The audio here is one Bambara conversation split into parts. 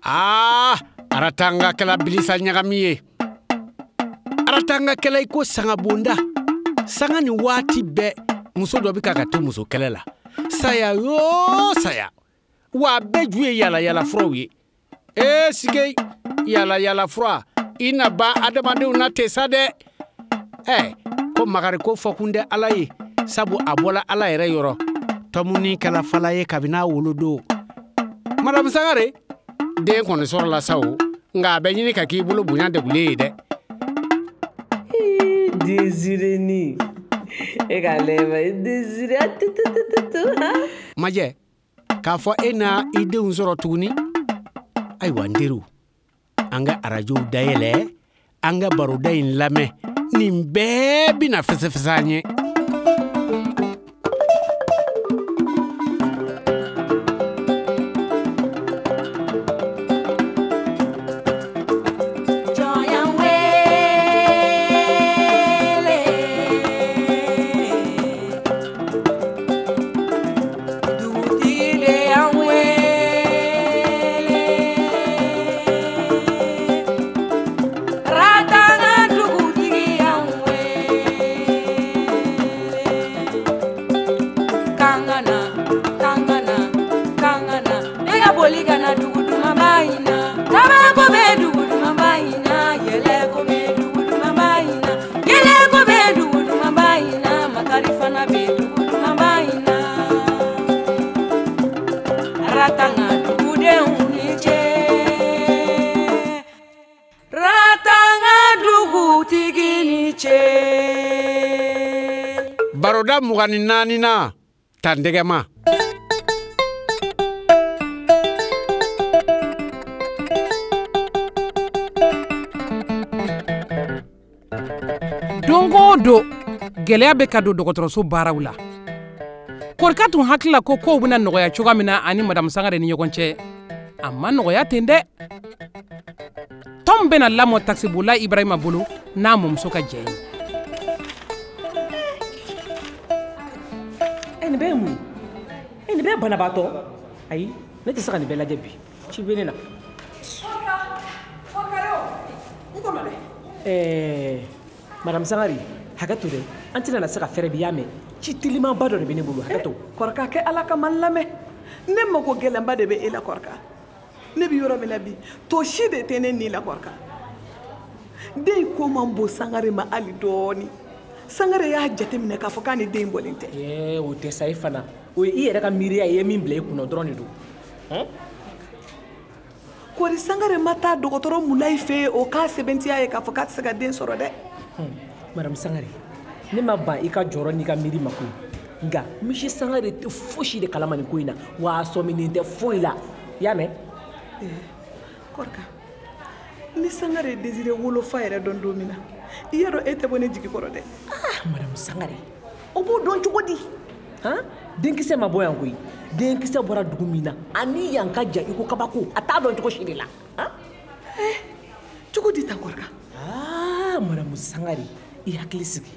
Aa, Aratanga kɛla bilisa ɲagami ye. Aratanga kɛla i ko sangabonda. Sanga ni waati bɛɛ, muso dɔ bɛ ka to muso kɛlɛ la. Saya yoo saya. Wa a bɛɛ ju ye yaala furaw ye. Ee sike, yaala yaala fura, i na ban adamadenw na ten sa dɛ. Ɛ, ko makari ko fɔkun tɛ Ala ye, sabu a bɔla Ala yɛrɛ yɔrɔ. Tɔmuni kɛla fala ye kabini a wolodon. Madamu Sangare, den kɔni sɔrɔla sa o, nka a bɛ ɲini ka k'i bolo bonya degulen ye dɛ. Désiré ni e ka lɛma Désiré tutututu. Majɛ, k'a fɔ e na i denw sɔrɔ tuguni. Ayiwa n teriw, an ka arajow dayɛlɛ, an ka baroda in lamɛn. Nin bɛɛ bɛna fɛsɛfɛsɛ an ye. Baroda 24nan, tandɛgɛma. Don o don, gɛlɛya bɛ ka don dɔgɔtɔrɔso baaraw la. Korika tun hakili la ko kow bɛna nɔgɔya cogoya min na ani Madamu Sangare ni ɲɔgɔn cɛ, a ma nɔgɔya ten dɛ. Tɔm bɛna lamɔ takisibolila Ibrahima bolo n'a mɔmuso ka jɛ ye. Nin bɛɛ ye mun ye? Nin bɛɛ ye banabaatɔ? Ayi, ne tɛ se ka nin bɛɛ lajɛ bi. Ci bɛ ne na. Madame Sangare, hakɛ to dɛ. An tɛna na se ka fɛrɛ bi, y'a mɛn. Ci telimanba dɔ de bɛ ne bolo, hakɛ to. Kɔrɔka, kɛ Ala kama n lamɛn. Ne mako gɛlɛnba de bɛ e la, kɔrɔka. Ne bɛ yɔrɔ min na bi, to si de tɛ ne ni la, kɔrɔka. Den ko man bon Sangare ma hali dɔɔni. Sangare y'a jateminɛ k'a fɔ k'a ni den bɔlen tɛ. O tɛ sa, e fana. O ye i yɛrɛ ka miiriya ye, i ye min bila i kunna dɔrɔn de don. Kɔri Sangare ma taa dɔgɔtɔrɔ Mulayi fɛ yen, o k'a sɛbɛntiya ye k'a fɔ k'a tɛ se ka den sɔrɔ dɛ. Madame Sangare, ne ma ban i ka jɔrɔ n'i ka miiri ma koyi. Nka Monsieur Sangare tɛ fosi de kalama nin ko in na, wa a sɔminen tɛ foyi la. I y'a mɛn? Kɔrɔka, ni Sangare ye Désiré wolofa yɛrɛ dɔn don min na, i y'a dɔn e tɛ bɔ ne jigi kɔrɔ dɛ. Madame Sangare, o b'o dɔn cogo di? Han? Denkisɛ ma bɔ yan koyi. Denkisɛ bɔra dugu min na, ani yan ka jan i ko kabako, a t'a dɔn cogo si de la. Han? Cogo di tan Kɔrɔka? Madame Sangare, i hakili sigi.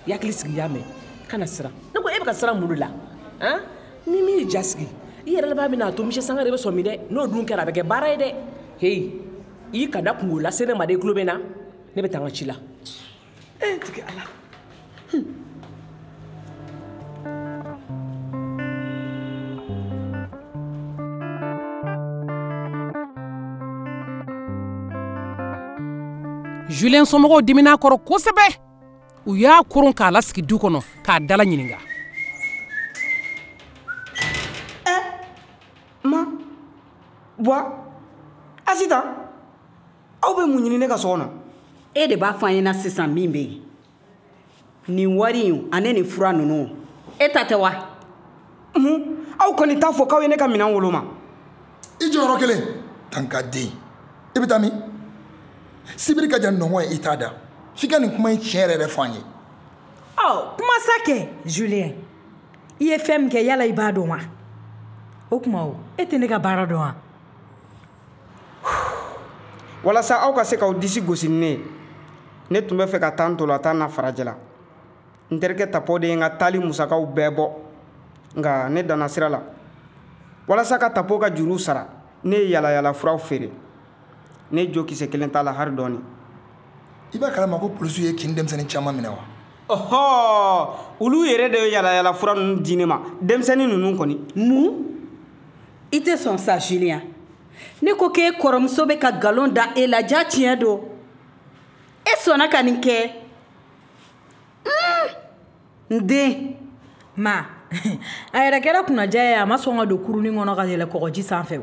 I hakili sigi, i y'a mɛn. Kana siran. Ne ko e bɛ ka siran mun de la? Han? Ni min y'i ja sigi, i yɛrɛ laban bɛna a to Monsieur Sangare bɛ sɔmi dɛ. N'o dun kɛra, a bɛ kɛ baara ye dɛ. Heyi, i kana kungo lase ne ma dɛ, i tulo bɛ n na. Ne bɛ taa n ka ci la. E tigi Ala. Julien somɔgɔw dimina a kɔrɔ kosɛbɛ. U y'a koron k'a lasigi du kɔnɔ k'a dala ɲininka. Ma, Buwa, Asitan, aw bɛ mun ɲini ne ka so kɔnɔ? E de b'a fɔ an ɲɛna sisan min bɛ yen. Nin wari in ani nin fura ninnu, e ta tɛ wa? Mun? Aw kɔni t'a fɔ k'aw ye ne ka minɛn woloma. I jɔyɔrɔ kelen, tankaden. I bɛ taa min? Sibiri ka jan nɔngɔn ye, i t'a da. F'i ka nin kuma in tiɲɛ yɛrɛ yɛrɛ fɔ an ye. Ɔ, kuma sa kɛ, Julien. I ye fɛn min kɛ, yala i b'a dɔn wa? O tuma o, e tɛ ne ka baara dɔn wa? Walasa aw ka se k'aw disi gosi ni ne ye, ne tun bɛ fɛ ka taa ntolantan na farajɛla. N terikɛ Tapo de ye n ka taali musakaw bɛɛ bɔ, nka ne danna sira la. Walasa ka Tapo ka juruw sara, Ne ye yalayala furaw feere. Ne jo kisɛ kelen t'a la hari dɔɔni. I b'a kalama ko polisiw ye kin denmisɛnnin caman minɛ wa? Ɔhɔ, olu yɛrɛ de ye yalayala fura ninnu di ne ma, denmisɛnnin ninnu kɔni. Mun? I tɛ sɔn sa, Julien. Ne ko k'e kɔrɔmuso bɛ ka nkalon da e la, ja tiɲɛ don. E sɔnna ka nin kɛ. N den. Ma, a yɛrɛ kɛra kunnaja ye, a ma sɔn ka don kurunin kɔnɔ ka yɛlɛ kɔgɔji sanfɛ.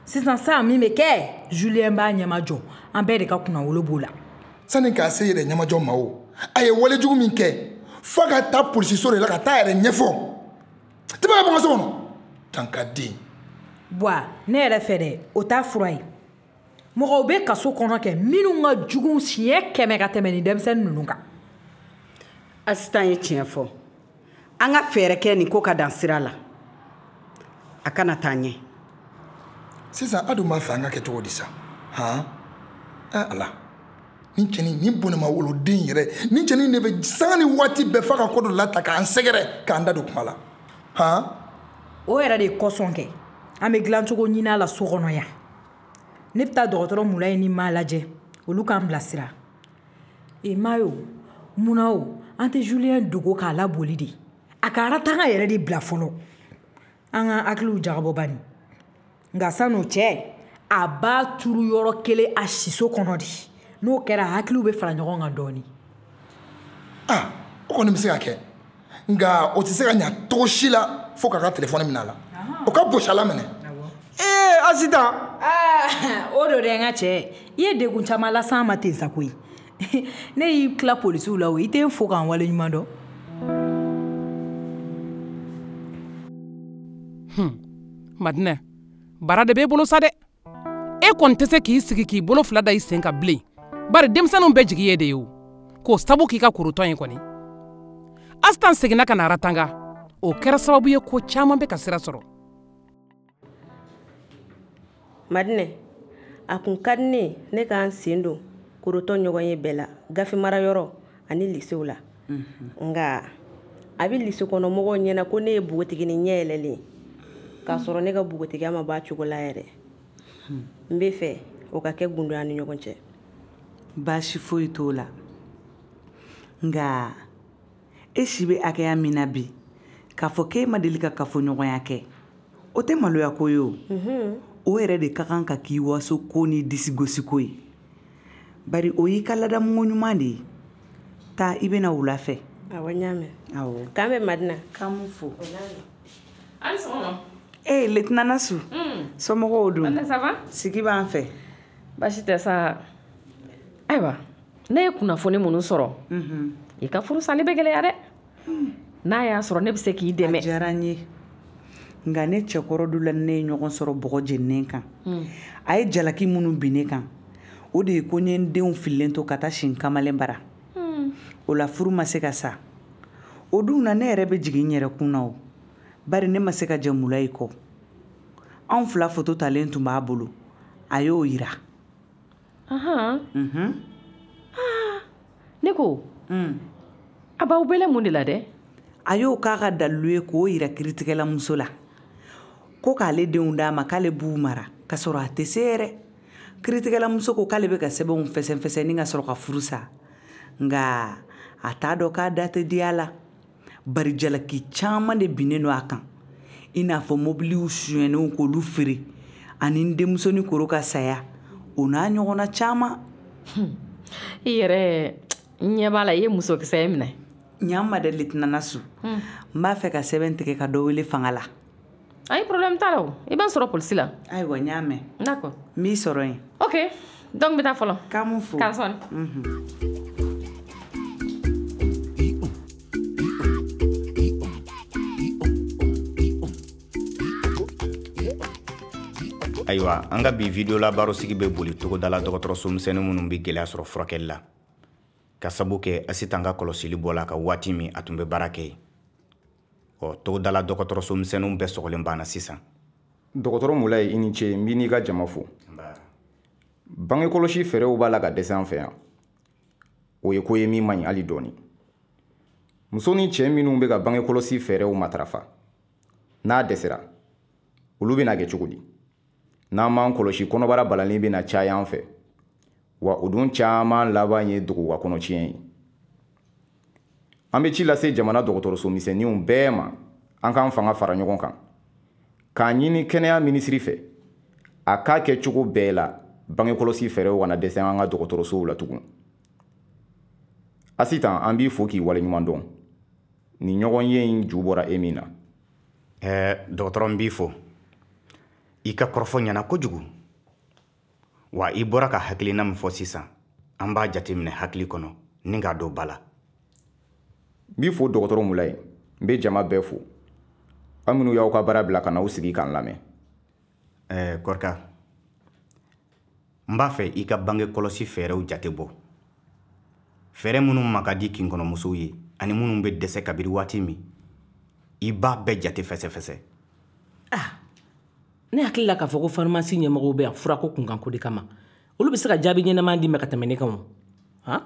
Sisan sa min bɛ kɛ, Julien b'a ɲɛmajɔ, an bɛɛ de ka kunnawolo b'o la. Sani k'a se yɛrɛ ɲɛmajɔ ma o, a ye walejugu min kɛ, f'a ka taa polisiso de la ka taa yɛrɛ ɲɛfɔ. Tɛmɛ ka bɔ n ka so kɔnɔ. Dankaden. Buwa, ne yɛrɛ fɛ dɛ, o t'a fura ye. Mɔgɔw bɛ kaso kɔnɔ kɛ minnu ka jugu siɲɛ 100 ka tɛmɛ nin denmisɛnnin ninnu kan. Asitan ye tiɲɛ fɔ. An ka fɛɛrɛ kɛ nin ko ka dan sira la. A kana taa ɲɛ. Sisan a dun b'a fɛ an ka kɛ cogo di sa? Han? Ala. Nin cɛnin, nin bɔnɛma woloden yɛrɛ, nin cɛnin de bɛ sanga ni waati bɛɛ f'a ka ko dɔ lata k'an sɛgɛrɛ, k'an da don kuma la. Han? O yɛrɛ de kosɔn kɛ, an bɛ dilancogo ɲini a la so kɔnɔ yan. Ne bɛ taa dɔgɔtɔrɔ Mulayi ni ma lajɛ, olu k'an bilasira. E Mayo, munna o, an tɛ Julien dogo k'a laboli de. A ka aratanga yɛrɛ de bila fɔlɔ. An ka hakiliw jagabɔ bani. Nka san'o cɛ, a b'a turu yɔrɔ kelen a siso kɔnɔ de. N'o kɛra, hakiliw bɛ fara ɲɔgɔn kan dɔɔni. Ah, o kɔni bɛ se ka kɛ. Nka o tɛ se ka ɲa cogo si la fo k'a ka telefɔni minɛ a la. O ka bosi a la minɛ. Ee Asitan. Aa, o don dɛ n ka cɛ. I ye degun caman las'an ma ten sa koyi. Ne y'i tila polisiw la o, i tɛ n fo k'an waleɲuman dɔn. Madinɛ, baara de b'e bolo sa dɛ. E kɔni tɛ se k'i sigi k'i bolo fila da i sen kan bilen. Bari denmisɛnninw bɛɛ jigi ye de ye o. K'o sabu k'i ka korotɔn ye kɔni. Asitan seginna ka na Aratanga. O kɛra sababu ye ko caman bɛ ka sira sɔrɔ. Madinɛ, a kun ka di ne ne k'an sen don korotɔn ɲɔgɔn ye bɛɛ la, gafe marayɔrɔ ani lisew la. Nka a bɛ lise kɔnɔ mɔgɔw ɲɛna ko ne ye npogotiginin ɲɛ yɛlɛlen ye, k'a sɔrɔ ne ka npogotigiya ma b'a cogo la yɛrɛ. N bɛ fɛ o ka kɛ gundo y'an ni ɲɔgɔn cɛ. Baasi foyi t'o la. Nka e si bɛ hakɛya min na bi, k'a fɔ k'e ma deli ka kafoɲɔgɔnya kɛ, o tɛ maloya ko ye o. O yɛrɛ de ka kan ka k'i waso ko ni disigosiko ye. Bari o y'i ka ladamuko ɲuman de ye. Taa, i bɛna wula fɛ. Awɔ, n y'a mɛn. Awɔ. K'an bɛn Madina. K'an m'u fo. Hali sɔgɔma. Ee, lieutenant Nasu. Somɔgɔw dun? Madina, ça va? Sigi b'an fɛ. Baasi tɛ sa. Ayiwa, ne ye kunnafoni minnu sɔrɔ, i ka furu sali bɛ gɛlɛya dɛ. N'a y'a sɔrɔ ne bɛ se k'i dɛmɛ. A diyara n ye. Nka ne cɛkɔrɔ dɔ la ne ye ɲɔgɔn sɔrɔ bɔgɔ jeninen kan. A ye jalaki minnu bin ne kan, o de ye ko n ye n denw fililen to ka taa si n kamalen bara. O la furu ma se ka sa. O dun na ne yɛrɛ bɛ jigin n yɛrɛ kun na o. Bari ne ma se ka jɛ Mulayi kɔ. Anw fila foto talen tun b'a bolo. A y'o yira. Ahan. Ne ko, a b'aw bɛlɛn mun de la dɛ? A y'o k'a ka dalilu ye k'o yira kiritigɛlamuso la. Ko k'ale denw d'a ma k'ale b'u mara k'a sɔrɔ a tɛ se yɛrɛ. Kiritigɛlamuso ko k'ale bɛ ka sɛbɛnw fɛsɛnfɛsɛn ni ka sɔrɔ ka furu sa. Nka a t'a dɔn k'a da tɛ diya la. Bari jalaki caman de binnen don a kan. I n'a fɔ mobiliw sonyɛnenw k'olu feere ani n denmusonin koro ka saya, o n'a ɲɔgɔnna caman. I yɛrɛ ɲɛ b'a la, i ye musokisɛ ye minɛ. Ɲan ma dɛ, lieutenant Nasu. N b'a fɛ ka sɛbɛn tigɛ ka dɔ wele fanga la. Ayi, problème t'a la o. I b'an sɔrɔ polisi la. Ayiwa, n y'a mɛn. D'accord. N b'i sɔrɔ yen. Ok, donc n bɛ taa fɔlɔ. K'an m'u fo. K'an sɔn. Ayiwa, an ka bi video la barosigi bɛ boli togodala dɔgɔtɔrɔso misɛnnin minnu bɛ gɛlɛya sɔrɔ furakɛli la, ka sabu kɛ Asitan ka kɔlɔsili bɔla ka waati min a tun bɛ baara kɛ yen. Ɔ, togodala dɔgɔtɔrɔso misɛnninw bɛɛ sɔgɔlen banna sisan. Dɔgɔtɔrɔ Mulayi, i ni ce, n b'i n'i ka jama fo. Bangekɔlɔsi fɛɛrɛw b'a la ka dɛsɛ an fɛ yan. O ye ko ye min man ɲi hali dɔɔni. Muso ni cɛ minnu bɛ ka bangekɔlɔsi fɛɛrɛw matarafa, n'a dɛsɛra, olu bɛna kɛ cogo di? N'an m'an kɔlɔsi, kɔnɔbara balalen bɛna caya an fɛ. Wa o dun caman laban ye duguba kɔnɔtiɲɛ ye. An bɛ ci lase jamana dɔgɔtɔrɔso misɛnninw bɛɛ ma, an k'an fanga fara ɲɔgɔn kan, k'a ɲini kɛnɛya minisiri fɛ, a k'a kɛ cogo bɛɛ la bangekɔlɔsi fɛɛrɛw kana dɛsɛ an ka dɔgɔtɔrɔsow la tugun. Asitan, an b'i fo k'i waleɲuman dɔn. Nin ɲɔgɔnye in ju bɔra e min na. Dɔgɔtɔrɔ, n b'i fo. I ka kɔrɔfɔ ɲɛna kojugu. Wa i bɔra ka hakilina min fɔ sisan, an b'a jateminɛ hakili kɔnɔ ni k'a don ba la. N b'i fo dɔgɔtɔrɔ Mulayi, n bɛ jama bɛɛ fo. Aw minnu y'aw ka baara bila ka n'aw sigi k'an lamɛn. Kɔrika, n b'a fɛ i ka bange kɔlɔsi fɛɛrɛw jate bɔ. Fɛɛrɛ minnu ma ka di kinkɔnɔmusow ye ani minnu bɛ dɛsɛ kabiri waati min, i b'a bɛɛ jate fɛsɛfɛsɛ. Ne hakili la k'a fɔ ko farimasi ɲɛmɔgɔw bɛ yan furako kunkanko de kama. Olu bɛ se ka jaabi ɲɛnama di ma ka tɛmɛ ne kan o. Han?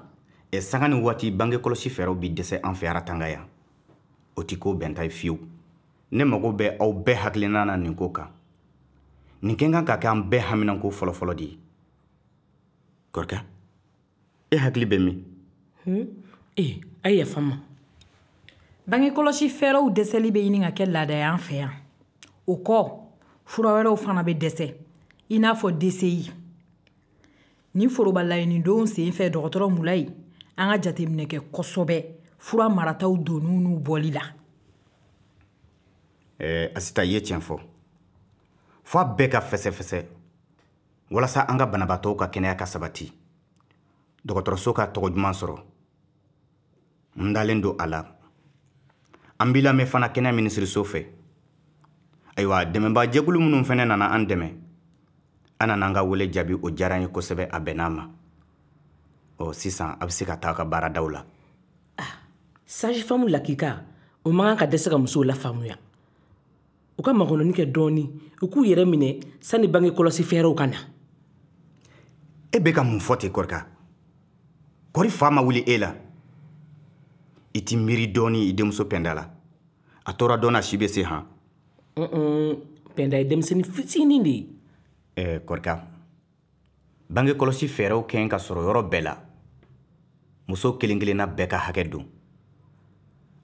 Sanga ni waati bange kɔlɔsi fɛɛrɛw bɛ dɛsɛ an fɛ Aratanga yan. O tɛ ko bɛnta ye fiyewu. Ne mago bɛ aw bɛɛ hakilina na nin ko kan. Nin kɛ kan ka kɛ an bɛɛ haminanko fɔlɔfɔlɔ de ye. Kɔrika, e hakili bɛ min? A ye yafa n ma. Bange kɔlɔsi fɛɛrɛw dɛsɛli bɛ ɲini ka kɛ laada ye an fɛ yan. O kɔ, fura wɛrɛw fana bɛ dɛsɛ, i n'a fɔ DCI. Nin foroba laɲinidenw sen fɛ dɔgɔtɔrɔ Mulayi, an ka jateminɛ kɛ kosɛbɛ fura marataw donni n'u bɔli la. Asita, i ye tiɲɛ fɔ. F'a bɛɛ ka fɛsɛfɛsɛ walasa an ka banabaatɔw ka kɛnɛya ka sabati, dɔgɔtɔrɔso ka tɔgɔ duman sɔrɔ. N dalen don a la. An b'i lamɛn fana kɛnɛya minisiriso fɛ. Ayiwa, dɛmɛbaajɛkulu minnu fana nana an dɛmɛ, an nana an ka wele jaabi, o diyara n ye kosɛbɛ, a bɛnn'a ma. Ɔ sisan, a bɛ se ka taa a ka baaradaw la. Sage-femme lakika, o man kan ka dɛsɛ ka musow lafaamuya. U ka makɔnɔni kɛ dɔɔni, u k'u yɛrɛ minɛ sani bange kɔlɔsi fɛɛrɛw ka na. E bɛ ka mun fɔ ten, Kɔrika? Kɔri fa ma wuli e la? I t'i miiri dɔɔni i denmuso Pɛnda la. A tora dɔɔni a si bɛ se han. Pɛnda ye denmisɛnnin fitinin de ye. Kɔrika, bange kɔlɔsi fɛɛrɛw kɛ ka sɔrɔ yɔrɔ bɛɛ la. Muso kelen kelenna bɛɛ ka hakɛ don.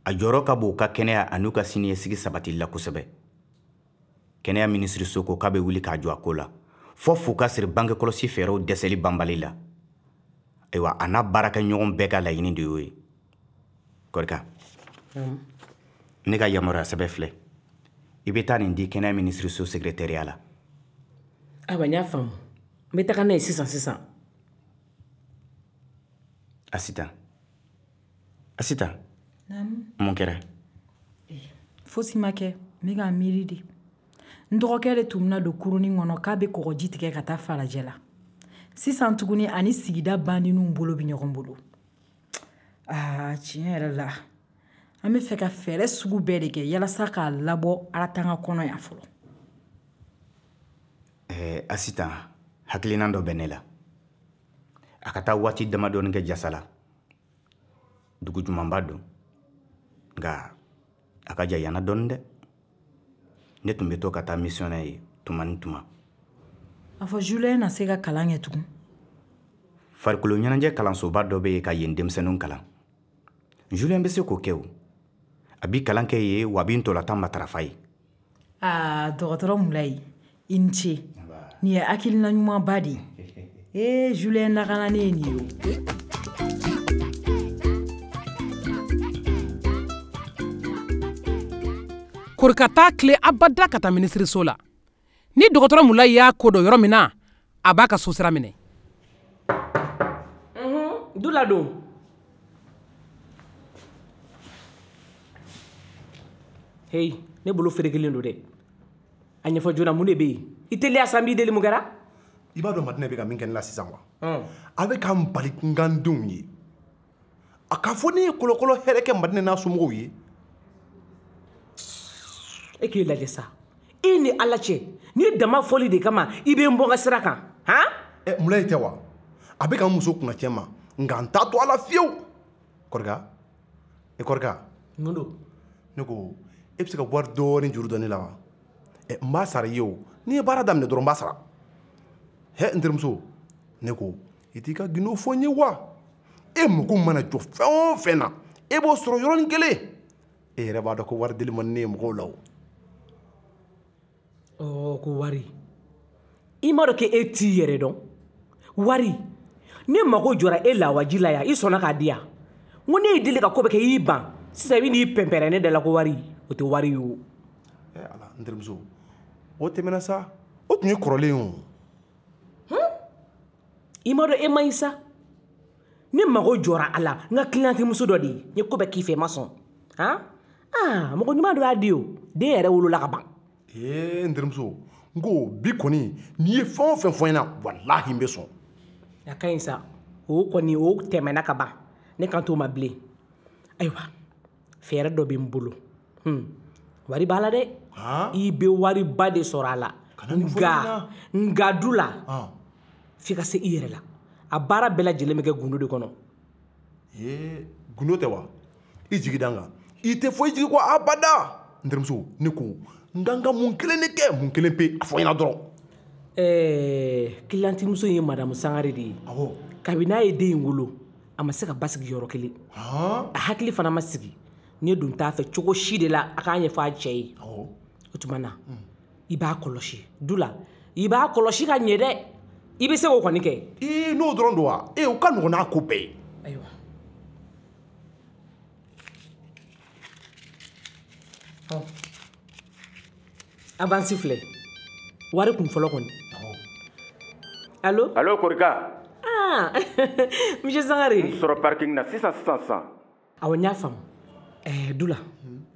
A jɔyɔrɔ ka bon u ka kɛnɛya an'u ka siniɲɛsigi sabatili la kosɛbɛ. Kɛnɛya minisiriso ko k'a bɛ wuli k'a jɔ a ko la, fɔ f'u ka siri bange kɔlɔsi fɛɛrɛw dɛsɛli banbali la. Ayiwa, a n'a baarakɛɲɔgɔn bɛɛ ka laɲini de y'o ye. Kɔrika, ne ka yamaruya sɛbɛn filɛ. I bɛ taa nin di kɛnɛya minisiriso secrétariat la. Ayiwa, n y'a faamu. N bɛ taga n'a ye sisan sisan. Asitan. Asitan. Naamu. Mun kɛra? Fosi ma kɛ. N bɛ k'a miiri de. N dɔgɔkɛ de tun bɛna don kurunin kɔnɔ k'a bɛ kɔgɔji tigɛ ka taa falajɛ la. Sisan tuguni ani sigida bandinw bolo bɛ ɲɔgɔn bolo. Aa, tiɲɛ yɛrɛ la, an bɛ fɛ ka fɛɛrɛ sugu bɛɛ de kɛ yalasa k'a labɔ Aratanga kɔnɔ yan fɔlɔ. Asitan, hakilina dɔ bɛ ne la. A ka taa waati damadɔni kɛ Jasala. Dugu jumanba don. Nka a ka jan yan na dɔɔni dɛ. Ne tun bɛ to ka taa misiyɔn ye tuma ni tuma. A fɔ Julien na se ka kalan kɛ tugun. Farikolo ɲɛnajɛ kalansoba dɔ bɛ yen ka yen denmisɛnninw kalan. Julien bɛ se k'o kɛ o. A bɛ kalan kɛ yen, wa a bɛ ntolantan matarafa yen. Aa, dɔgɔtɔrɔ Mulayi, i ni ce. Nin ye hakilina ɲumanba de ye. Ee, Julien lakananen ye nin ye o. Korika t'a tile abada ka taa minisiriso la. Ni dɔgɔtɔrɔ Mulayi y'a ko dɔn yɔrɔ min na, a b'a ka sosira minɛ. Du ladon. Hey, ne bolo ferekelen don dɛ. A ɲɛfɔ joona, mun de bɛ yen? I teliya sa, n b'i deli, mun kɛra? I b'a dɔn Madinɛ bɛ ka min kɛ ne la sisan wa? A bɛ ka n bali n ka n denw ye. A k'a fɔ ne ye kɔlɔkɔlɔ hɛrɛ kɛ Madinɛ n'a somɔgɔw ye. E k'i lajɛ sa. E ni Ala cɛ, ni dama fɔli de kama i bɛ n bɔ n ka sira kan, han? Mulayi tɛ wa? A bɛ ka n muso kunna tiɲɛ ma, nka n t'a to a la fiyewu. Kɔrika, e Kɔrika. Mun don? Ne ko, e bɛ se ka wari dɔɔni juru don ne la wa? N b'a sara i ye o. N'i ye baara daminɛ dɔrɔn n b'a sara. Hɛ, n terimuso, ne ko i t'i ka gindo fɔ n ye wa? E mago mana jɔ fɛn o fɛn na, e b'o sɔrɔ yɔrɔnin kelen. E yɛrɛ b'a dɔn ko wari deli man di ne ye mɔgɔw la o. Ɔ, ko wari, i m'a dɔn k'e t'i yɛrɛ dɔn. Wari, ne mago jɔra e lawaji la yan, i sɔnna k'a di yan. N ko ne y'i deli ka ko bɛɛ kɛ, i y'i ban. Sisan i bɛ n'i pɛnpɛrɛn ne da la ko wari, o tɛ wari ye o. Ɛ Ala, n terimuso, o tɛmɛna sa, o tun ye kɔrɔlen ye o. I m'a dɔn e man ɲi sa. Ne mago jɔra a la, n ka kiliyantimuso dɔ de ye. N ye ko bɛɛ k'i fɛ, i ma sɔn. Han? Aa, mɔgɔ ɲuman dɔ y'a di o. Den yɛrɛ wolola ka ban. Ee, n terimuso, n ko bi kɔni, n'i ye fɛn o fɛn fɔ n ɲɛna, walahi n bɛ sɔn. A ka ɲi sa. O kɔni, o tɛmɛna ka ban. Ne kan t'o ma bilen. Ayiwa, fɛɛrɛ dɔ bɛ n bolo. Wari b'a la dɛ. I bɛ wariba de sɔrɔ a la. Nka, nka du la, f'i ka se i yɛrɛ la. A baara bɛɛ lajɛlen bɛ kɛ gundo de kɔnɔ. Ee, gundo tɛ wa? I jigi da n kan. I tɛ foyi jigi kɔ abada. N terimuso, ne ko n kan ka mun kelen de kɛ, mun kelen pe, a fɔ n ɲɛna dɔrɔn. Ɛɛ, kiliyantimuso in ye madamu Sangare de ye. Awɔ. Kabini n'a ye den in wolo, a ma se ka basigi yɔrɔ kelen. A hakili fana ma sigi. Ne dun t'a fɛ cogo si de la a k'a ɲɛfɔ a cɛ ye. Awɔ. O tuma na, i b'a kɔlɔsi du la, i b'a kɔlɔsi ka ɲɛ dɛ. I bɛ se k'o kɔni kɛ. Ee, n'o dɔrɔn don wa? Ee, o ka nɔgɔn n'a ko bɛɛ ye. Ayiwa. Ɔ, avance filɛ. Wari kun fɔlɔ kɔni. Allo? Allo, Korika. Ah, monsieur Sangare. N sɔrɔ parking na sisan sisan sisan. Awɔ, n y'a faamu. Ɛɛ, Dula,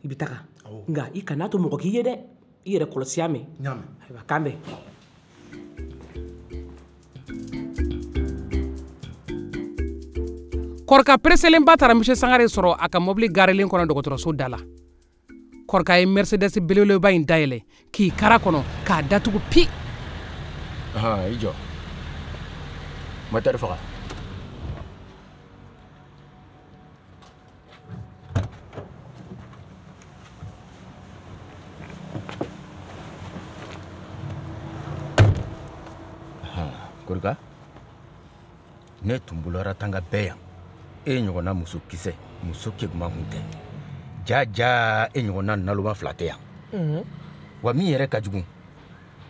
i bɛ taga. Nka i kan'a to mɔgɔ k'i ye dɛ. I yɛrɛ kɔlɔsi y'a mɛn. N y'a mɛn. Ayiwa, k'an bɛn. Korika pereselenba taara monsieur Sangare sɔrɔ a ka mobili garelen kɔnɔ dɔgɔtɔrɔso da la. Korika ye Mercedes belebeleba in dayɛlɛ k'i kara kɔnɔ k'a datugu pi. Ahan, i jɔ. Moteur faga. Korika, ne tun bolo Aratanga bɛɛ yan. E ɲɔgɔnna muso kisɛ, muso keguman kun tɛ. Ja ja, e ɲɔgɔnna naloma fila tɛ yan. Wa min yɛrɛ ka jugu,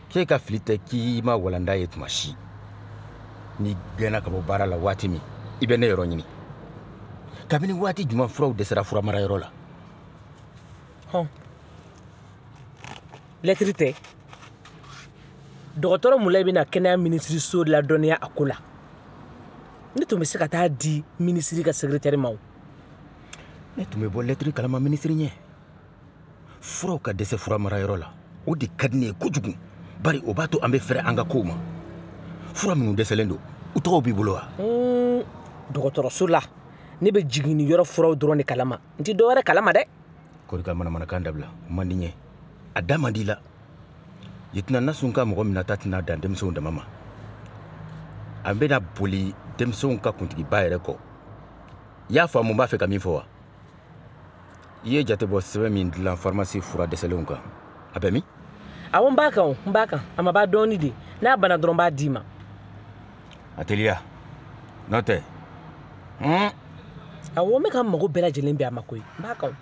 k'e ka fili tɛ k'i ma walanda ye tuma si. N'i gɛnna ka bɔ baara la waati min, i bɛ ne yɔrɔ ɲini. Kabini waati jumɛn furaw dɛsɛra furamarayɔrɔ la? Hɔn. Lɛtiri tɛ. Dɔgɔtɔrɔ Mulayi bɛna kɛnɛya minisiriso ladɔnniya a ko la. Ne tun bɛ se ka taa di minisiri ka secrétaire ma o. Ne tun bɛ bɔ lɛtiri kalama minisiri ɲɛ. Furaw ka dɛsɛ fura marayɔrɔ la, o de ka di ne ye kojugu. Bari o b'a to an bɛ fɛrɛ an ka kow ma. Fura minnu dɛsɛlen don, u tɔgɔw b'i bolo wa? Dɔgɔtɔrɔso la, ne bɛ jiginni yɔrɔ furaw dɔrɔn de kalama. N tɛ dɔwɛrɛ kalama dɛ. Korika, manamanakan dabila, o man di n ye. A da man di i la. Yetina Nasun ka mɔgɔ minɛta tɛna dan denmisɛnw dama ma. A bɛna boli denmisɛnw ka kuntigiba yɛrɛ kɔ. I y'a faamu n b'a fɛ ka min fɔ wa? I ye jatebɔ sɛbɛn min dilan farimasi fura dɛsɛlenw kan, a bɛ min? Awɔ, n b'a kan o, n b'a kan. A ma ban dɔɔni de. N'a banna dɔrɔn n b'a d'i ma. A teliya. N'o tɛ. Awɔ, n bɛ ka n mago bɛɛ lajɛlen bɛn a ma koyi. N b'a kan o.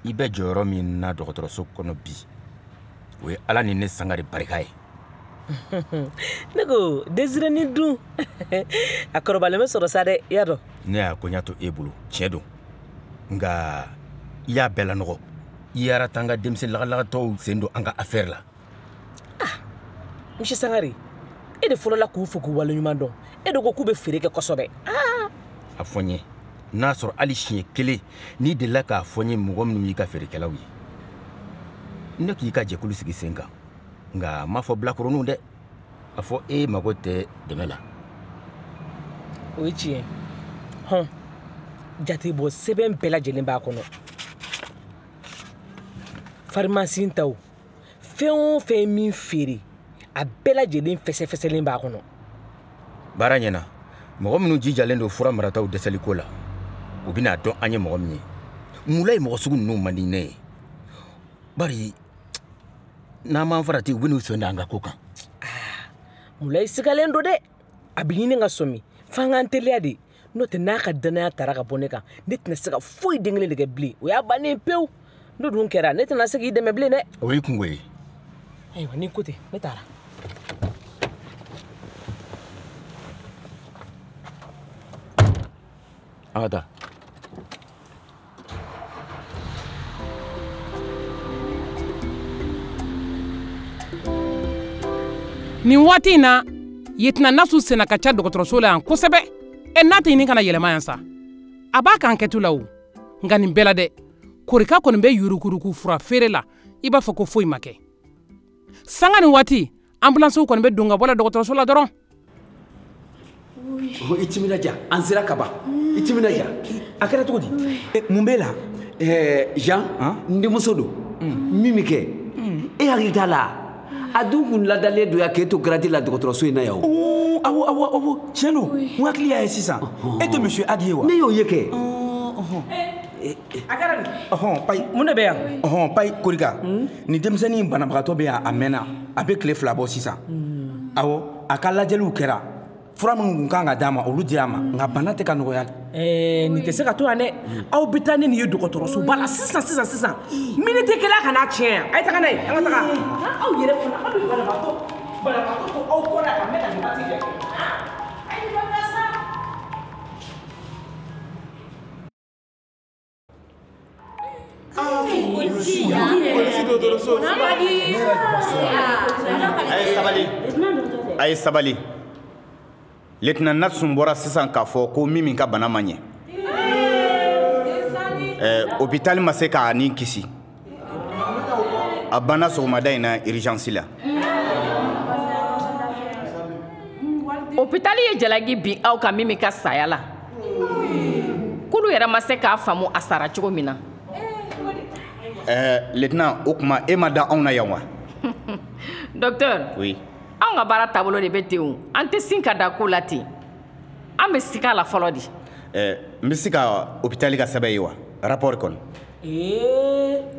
I bɛ jɔyɔrɔ min na dɔgɔtɔrɔso kɔnɔ bi, o ye Ala ni ne Sangare barika ye. Ne ko Desire ni dun, a kɔrɔbalen bɛ sɔrɔ sa dɛ, i y'a dɔn. Ne y'a koɲa to e bolo, tiɲɛ don. Nka i y'a bɛɛ lanɔgɔ. I ye Aratanga denmisɛn lagalagatɔw sen don an ka affaire la. Ah, monsieur Sangare, e de fɔlɔla k'u fo k'u waleɲuman dɔn. E de ko k'u bɛ feere kɛ kosɛbɛ. Ah! A fɔ n ye, n'a sɔrɔ hali siɲɛ kelen n'i delila k'a fɔ n ye mɔgɔ minnu y'i ka feerekɛlaw ye. Ne k'i ka jɛkulu sigi sen kan. Nka n m'a fɔ bilakoroninw dɛ. A fɔ e mago tɛ dɛmɛ la. O ye tiɲɛ. Hɔn, jatebɔ sɛbɛn bɛɛ lajɛlen b'a kɔnɔ. Farimasi taw, fɛn o fɛn ye min feere, a bɛɛ lajɛlen fɛsɛfɛsɛlen b'a kɔnɔ. Baara ɲɛna. Mɔgɔ minnu jijalen don fura marataw dɛsɛliko la, u bɛna dɔn an ye mɔgɔ min ye. Mulayi mɔgɔ sugu ninnu man di ne ye. Bari n'an m'an farati, u bɛn'u sen da an ka ko kan. Mulayi sigalen don dɛ. A bɛ ɲini ka sɔmi. F'an k'an teliya de. N'o tɛ n'a ka danaya tara ka bɔ ne kan, ne tɛna se ka foyi den kelen de kɛ bilen. O y'a bannen pewu. N'o dun kɛra, ne tɛna se k'i dɛmɛ bilen dɛ. O y'i kungo ye. Ayiwa, n'i ko ten, ne taara. An ka taa. Nin waati in na, yetina Nasu senna ka ca dɔgɔtɔrɔso la yan kosɛbɛ. Ɛ, n'a tɛ ɲini ka na yɛlɛma yan sa, a b'a ka enquête la o. Nka nin bɛɛ la dɛ, Korika kɔni bɛ yuruguyurugu fura feere la i b'a fɔ ko foyi ma kɛ. Sanga ni waati, ambulansiw kɔni bɛ don ka bɔ la dɔgɔtɔrɔso la dɔrɔn. I timinadiya, an sera ka ban. I timinadiya. A kɛra cogo di? Mun b'e la? Jean, n denmuso don. Min bɛ kɛ, e hakili t'a la? A dun kun ladalen don yan k'e to garadi la dɔgɔtɔrɔso in na yan o. Awɔ, awɔ, awɔ, tiɲɛ don. N hakili y'a ye sisan. E tɛ monsieur Adi ye wa? Ne y'o ye kɛ. A kɛra di? Ɔhɔn, Payi. Mun de bɛ yan? Ɔhɔn, Payi Korika. Nin denmisɛnnin in banabagatɔ bɛ yan a mɛnna. A bɛ tile 2 bɔ sisan. Awɔ, a ka lajɛliw kɛra. Fura minnu tun kan ka d'a ma, olu dira a ma. Nka bana tɛ ka nɔgɔya. Nin tɛ se ka to yan dɛ. Aw bɛ taa ni nin ye dɔgɔtɔrɔsoba la sisan sisan sisan. Miniti kelen a kana tiɲɛ yan. A ye taga n'a ye, an ka taga. Aw yɛrɛ fana, aw bɛ banabagatɔ to aw kɔ la ka mɛn ka nin waati bɛɛ kɛ. A ye nin bila sa. A ye sabali. A ye sabali. Lieutenant Natsun bɔra sisan k'a fɔ ko Mimi ka bana ma ɲɛ. Hôpital ma se k'a ni kisi. A banna sɔgɔmada in na urgence la. Hôpital ye jalaki bin aw kan Mimi ka saya la. K'olu yɛrɛ ma se k'a faamu a sara cogo min na. Lieutenant, o tuma e ma da anw na yan wa? Docteur. Oui. Anw ka baara taabolo de bɛ ten o. An tɛ sin ka da ko la ten. An bɛ siga a la fɔlɔ de. N bɛ se ka hôpital ka sɛbɛn ye wa? Rapport kɔnɔ.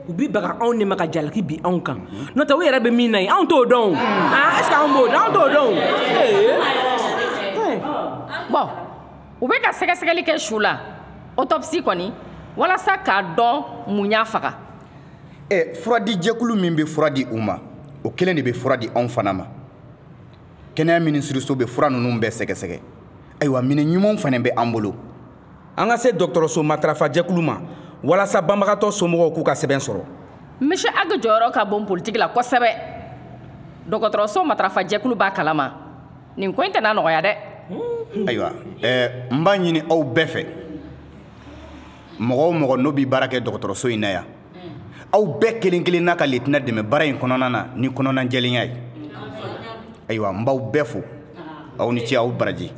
U bɛ baga anw de ma ka jalaki bin anw kan. N'o tɛ u yɛrɛ bɛ min na yen, anw t'o dɔn o. Ah, est-ce que anw b'o dɔn? Anw t'o dɔn o. Bon, u bɛ ka sɛgɛsɛgɛli kɛ su la. Autopsie kɔni, walasa k'a dɔn mun y'a faga. Fura di jɛkulu min bɛ fura di u ma, o kelen de bɛ fura di anw fana ma. Kɛnɛya minisiriso bɛ fura ninnu bɛɛ sɛgɛsɛgɛ. Ayiwa, minɛn ɲumanw fana bɛ an bolo. An ka se dɔgɔtɔrɔso matarafa jɛkulu ma walasa banbagatɔ somɔgɔw k'u ka sɛbɛn sɔrɔ. Monsieur Ag jɔyɔrɔ ka bon politiki la kosɛbɛ. Dɔgɔtɔrɔso matarafa jɛkulu b'a kalama. Nin ko in tɛna nɔgɔya dɛ. Ayiwa, n b'a ɲini aw bɛɛ fɛ. Mɔgɔ o mɔgɔ n'o bɛ baara kɛ dɔgɔtɔrɔso in na yan, aw bɛɛ kelen kelen n'a ka lieutenant dɛmɛ baara in kɔnɔna na ni kɔnɔnajɛlenya ye. Ayiwa, n b'aw bɛɛ fo. Aw ni ce, aw baraji.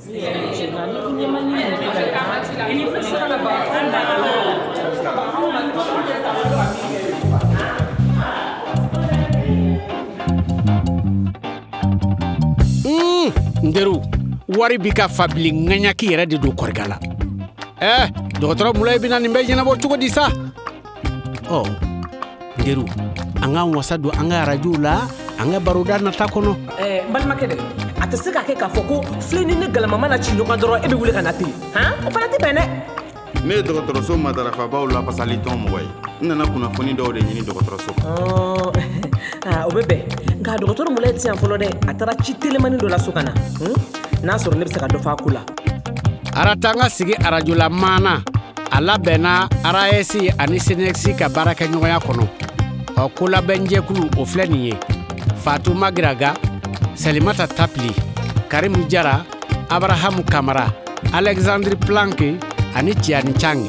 N teriw, wari bi ka fabili ŋaɲaki yɛrɛ de don Korika la. Dɔgɔtɔrɔ Mulayi bɛna nin bɛɛ ɲɛnabɔ cogo di sa? Ɔ, n teriw, an k'an wasa don an ka arajow la, an ka baroda nata kɔnɔ. N balimakɛ dɛ, a tɛ se ka kɛ k'a fɔ ko filen ni ne galama mana ci ɲɔgɔn dɔrɔn e bɛ wuli ka na ten. Han, o fana tɛ bɛn dɛ. Ne ye dɔgɔtɔrɔso matarafabaw lafasali tɔn mɔgɔ ye. N nana kunnafoni dɔw de ɲini dɔgɔtɔrɔso. O bɛ bɛn. Nka dɔgɔtɔrɔ Mulayi tɛ yan fɔlɔ dɛ. A taara ci telimani dɔ la so ka na. N'a sɔrɔ ne bɛ se ka dɔ fɔ a ko la. Aratanga sigi arajola maana a labɛnna RAS ani CNEX ka baarakɛɲɔgɔnya kɔnɔ. Ɔ, kolabɛnjɛkulu o filɛ nin ye: Fatou Magiraga, Salimata Tapili, Karimu Jara, Abrahamu Kamara, Alexandre Planck ani Tiani Chang.